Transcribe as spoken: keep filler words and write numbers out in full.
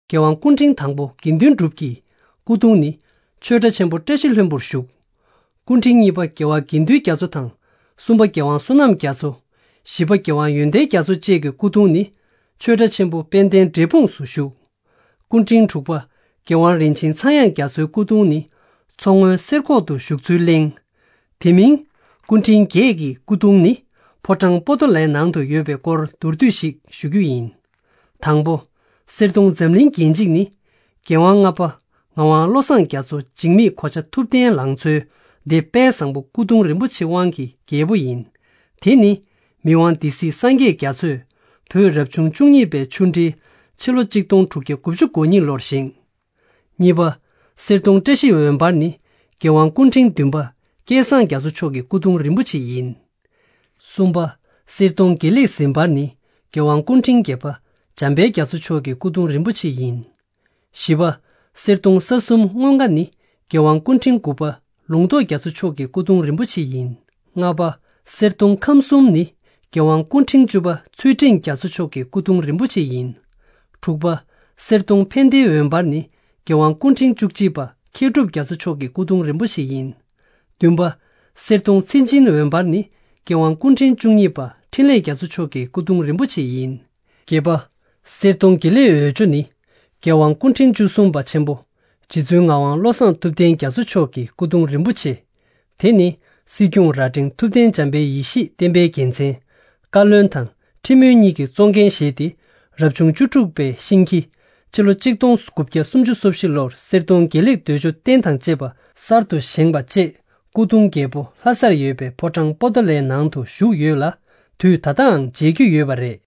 རྒྱལ་དབང་སྐུ་ཕྲེང་དང་པོ་དགེ་འདུན་གྲུབ་ཀྱི་སྐུ་གདུང་ནི་ཆོས་གྲྭ་ཆེན་པོ་བཀྲ་ཤིས་ལྷུན་པོར་བཞུགས། སྐུ་ཕྲེང་གཉིས་པ་རྒྱལ་བ་དགེ་འདུན་རྒྱ་མཚོ་དང་། གསུམ་པ་རྒྱལ་དབང་བསོད་ནམས་རྒྱ་མཚོ། བཞི་པ་རྒྱལ་དབང་ཡོན་ཏན་རྒྱ་མཚོ་བཅས་ཀྱི་སྐུ་གདུང་ནི་ཆོས་གྲྭ་ཆེན་པོ་དཔལ་ལྡན་འབྲས་སྤུངས་སུ་བཞུགས། སྐུ་ཕྲེང་དྲུག་པ་རྒྱལ་དབང་རིན་ཆེན་ཚངས་དབྱངས་རྒྱ་མཚོའི་སྐུ་གདུང་ནི་མཚོ་སྔོན་གསེར་ཁོག་ཏུ་བཞུགས་ཚུལ་གླེང་། དེ་མིན། སྐུ་ཕྲེང་བརྒྱད་ཀྱི་སྐུ་གདུང་ནི་ཕོ་བྲང་པོ་ཏོ་ལའི་ནང་དུ་ཡོད་པའི་སྐོར་མདོར་བསྡུས་ཤིག་ཞུ་རྒྱུ་ཡིན། དང་པོ། གསེར་གདུང་འཛམ་གླིང་རྒྱན་འཇིགས་ནི། རྒྱལ་དབང་ལྔ་པ་ངག་དབང་བློ་བཟང་རྒྱ་མཚོ་འཇིགས་མེད་གོ་ཆ་ཐུབ་བསྟན་ལང་ཚོའི་སྡེ་དཔལ་བཟང་པོ་སྐུ་གདུང་རིན་པོ་ཆེ་དབང་གི་རྒྱལ་པོ་ཡིན། དེ་ནི་མི་དབང་སྡེ་སྲིད་སངས་རྒྱས་རྒྱ་མཚོས་བོད་རབ་བྱུང་བཅུ་གཉིས་པའི་ཆུ་འབྲེལ་ཕྱི་ལོ་གཅིག་སྟོང་དྲུག་བརྒྱ་དགུ་བཅུ་གོ་གཉིས་ལོར་བཞེངས། གཉིས་པ། གསེར་གདུང་བཀྲ་ཤིས་འོད་འབར་ནི་རྒྱལ་དབང་སྐུ་ཕྲེང་བདུན་པ་སྐལ་བཟང་རྒྱ་མཚོ་མཆོག་གི་སྐུ་གདུང་རིན་པོ་ཆེ་ཡིན། གསུམ་པ། གསེར་གདུང་དགེ་ལེགས་ཟིལ་འབར་ནི་རྒྱལ་དབང་སྐུ་ཕྲེང་བརྒྱད་པ་འཇམ་དཔལ་རྒྱ་མཚོ་མཆོག་གི་སྐུ་གདུང་རིན་པོ་ཆེ་ཡིན། བཞི་པ། གསེར་གདུང་ས་གསུམ་མངོན་དགའ་ནི་རྒྱལ་དབང་སྐུ་ཕྲེང་དགུ་པ་ལུང་རྟོགས་རྒྱ་མཚོ་མཆོག་གི་སྐུ་གདུང་རིན་པོ་ཆེ་ཡིན། ལྔ་པ། གསེར་གདུང་ཁམས་གསུམ་ནི་རྒྱལ་དབང་སྐུ་ཕྲེང་བཅུ་པ་ཚུལ་ཁྲིམས་རྒྱ་མཚོ་མཆོག་གི་སྐུ་གདུང་རིན་པོ་ཆེ་ཡིན། དྲུག་པ། གསེར་གདུང་ཕན་བདེའི་འོད་འབར་ནི་རྒྱལ་དབང་སྐུ་ཕྲེང་བཅུ་གཅིག་པ་མཁས་གྲུབ་རྒྱ་མཚོ་མཆོག་གི་སྐུ་གདུང་རིན་པོ་ཆེ་ཡིན། བདུན་པ། གསེར་གདུང་མཚན་ཅན་འོད་འབར་ནི་རྒྱལ་དབང་སྐུ་ཕྲེང་བཅུ་གཉིས་པ་འཕྲིན་ལས་རྒྱ་མཚོ་མཆོག་གི་སྐུ་གདུང་རིན་པོ་ཆེ་ཡིན། བརྒྱད་པ། གསེར་གདུང་དགེ་ལེགས་འོད་འཇོ་ནི་རྒྱལ་དབང་སྐུ་ཕྲེང་བཅུ་གསུམ་པ་ཆེན་པོ་རྗེ་བཙུན་ངག་དབང་བློ་བཟང་ཐུབ་བསྟན་རྒྱ་མཚོ་མཆོག་གི་སྐུ་གདུང་རིན་པོ་ཆེ། དེ་ནི་སྲིད་སྐྱོང་རྭ་སྒྲེང་ཐུབ་བསྟན་འཇམ་དཔལ་ཡེ་ཤེས་བསྟན་པའི་རྒྱལ་མཚན། བཀའ་བློན་དང་ཁྲི་མོན་གཉིས་ཀྱིས་གཙོ་འགན་བཞེས་ཏེ་རབ་བྱུང་བཅུ་དྲུག་པའི་ཤིང་ཁྱི་སྤྱི་ལོ་གཅིག་སྟོང་དགུ་བརྒྱ་སུམ་ཅུ་སོ་བཞི་ལོར་གསེར་གདུང་དགེ་ལེགས་འོད་འཇོ་རྟེན་དང་བཅས་པ་གསར་དུ་བཞེངས་པ་བཅས་སྐུ་གདུང་རྒྱལ་པོ་ལྷ་སར་ཡོད་པའི་ཕོ་བྲང་པོ་ཏོ་ལའི་ནང་དུ་བཞུགས་ཡོད་ལ། དུས་ད་ལྟའང་མཇལ་རྒྱུ་ཡོད་པ་རེད།